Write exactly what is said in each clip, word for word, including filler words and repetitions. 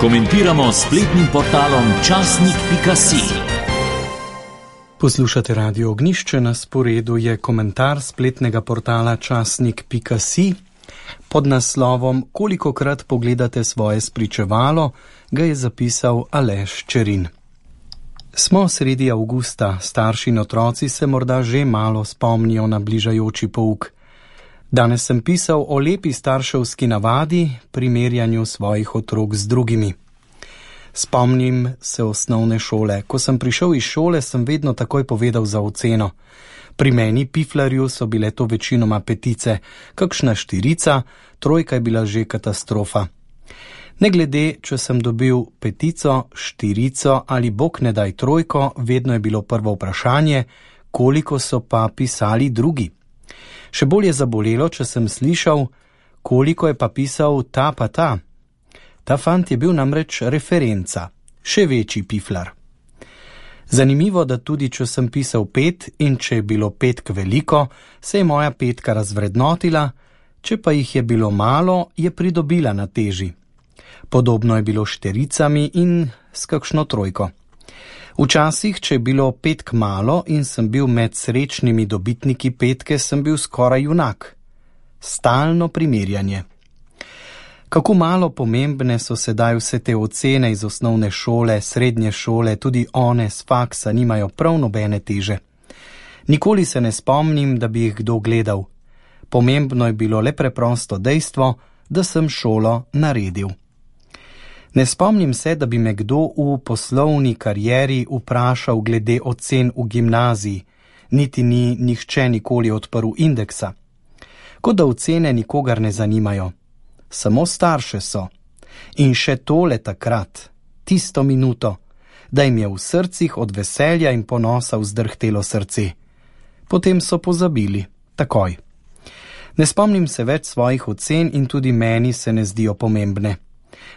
Komentiramo s spletnim portalom časnik pika si. Poslušate Radio Ognjišče, na sporedu je komentar spletnega portala časnik pika si. Pod naslovom Kolikokrat pogledate svoje spričevalo, ga je zapisal Aleš Čerin. Smo sredi avgusta, starši in otroci se morda že malo spomnijo na bližajoči pouk. Danes sem pisal o lepi starševski navadi, primerjanju svojih otrok z drugimi. Spomnim se osnovne šole. Ko sem prišel iz šole, sem vedno takoj povedal za oceno. Pri meni, piflarju, so bile to večinoma petice, kakšna štirica, trojka je bila že katastrofa. Ne glede, če sem dobil petico, štirico ali bog ne daj trojko, vedno je bilo prvo vprašanje, koliko so pa pisali drugi. Še bolj je zabolelo, če sem slišal, koliko je pa pisal ta pa ta. Ta fant je bil namreč referenca, še večji piflar. Zanimivo, da tudi če sem pisal pet in če je bilo petk veliko, se je moja petka razvrednotila, če pa jih je bilo malo, je pridobila na teži. Podobno je bilo s štiricami in s kakšno trojko. Včasih, če je bilo petk malo in sem bil med srečnimi dobitniki petke, sem bil skoraj junak. Stalno primerjanje. Kako malo pomembne so sedaj vse te ocene iz osnovne šole, srednje šole, tudi one z faksa nimajo prav nobene teže. Nikoli se ne spomnim, da bi jih kdo gledal. Pomembno je bilo le preprosto dejstvo, da sem šolo naredil. Ne spomnim se, da bi me kdo v poslovni karieri vprašal glede ocen v gimnaziji, niti ni nihče nikoli odprl indeksa. Kot da ocene nikogar ne zanimajo. Samo starše so. In še tole takrat, tisto minuto, da jim je v srcih od veselja in ponosa vzdrhtelo srce. Potem so pozabili, takoj. Ne spomnim se več svojih ocen in tudi meni se ne zdijo pomembne.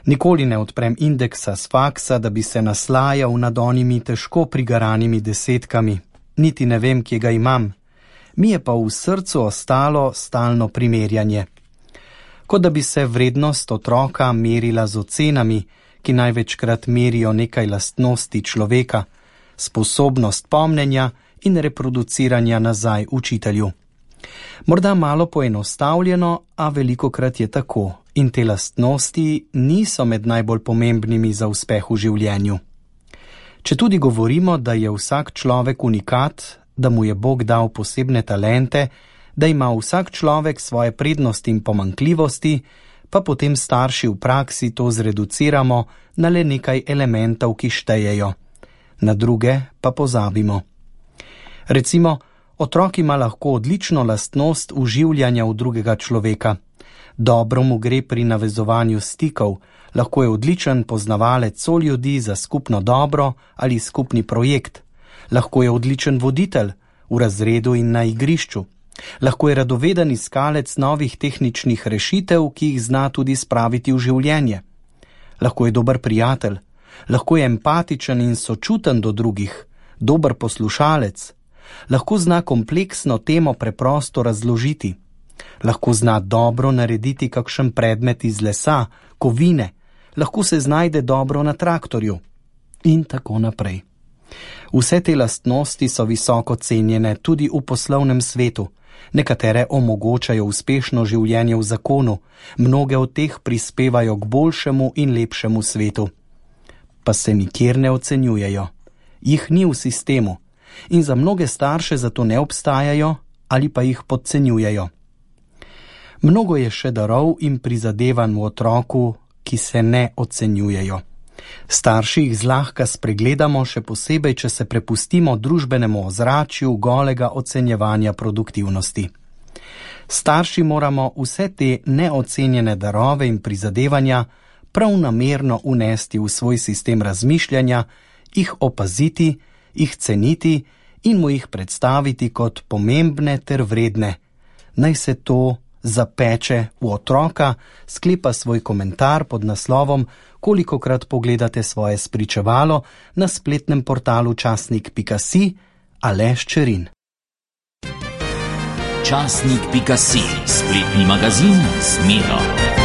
Nikoli ne odprem indeksa s faksa, da bi se naslajal nad onimi težko prigaranimi desetkami. Niti ne vem, kje ga imam. Mi je pa v srcu ostalo stalno primerjanje. Kot da bi se vrednost otroka merila z ocenami, ki največkrat merijo nekaj lastnosti človeka, sposobnost pomnenja in reproduciranja nazaj učitelju. Morda malo poenostavljeno, a velikokrat je tako. In te lastnosti niso med najbolj pomembnimi za uspeh v življenju. Če tudi govorimo, da je vsak človek unikat, da mu je Bog dal posebne talente, da ima vsak človek svoje prednosti in pomanjkljivosti, pa potem starši v praksi to zreduciramo na le nekaj elementov, ki štejejo. Na druge pa pozabimo. Recimo, otrok ima lahko odlično lastnost vživljanja v drugega človeka. Dobro mu gre pri navezovanju stikov, lahko je odličen poznavalec soljudi za skupno dobro ali skupni projekt, lahko je odličen voditelj v razredu in na igrišču, lahko je radoveden iskalec novih tehničnih rešitev, ki jih zna tudi spraviti v življenje, lahko je dober prijatelj, lahko je empatičen in sočuten do drugih, dober poslušalec, lahko zna kompleksno temo preprosto razložiti, lahko zna dobro narediti kakšen predmet iz lesa, kovine, lahko se znajde dobro na traktorju in tako naprej. Vse te lastnosti so visoko cenjene tudi v poslovnem svetu. Nekatere omogočajo uspešno življenje v zakonu, mnoge od teh prispevajo k boljšemu in lepšemu svetu. Pa se nikjer ne ocenjujejo. Jih ni v sistemu in za mnoge starše zato ne obstajajo ali pa jih podcenjujejo. Mnogo je še darov in prizadevanj v otroku, ki se ne ocenjujejo. Starši jih zlahka spregledamo, še posebej, če se prepustimo družbenemu ozračju golega ocenjevanja produktivnosti. Starši moramo vse te neocenjene darove in prizadevanja prav namerno unesti v svoj sistem razmišljanja, jih opaziti, jih ceniti in mu jih predstaviti kot pomembne ter vredne. Naj se to zapeče v otroka, sklepa svoj komentar pod naslovom Kolikokrat pogledate svoje spričevalo na spletnem portalu časnik pika si Aleš Čerin. časnik pika si, spletni magazin z Miro.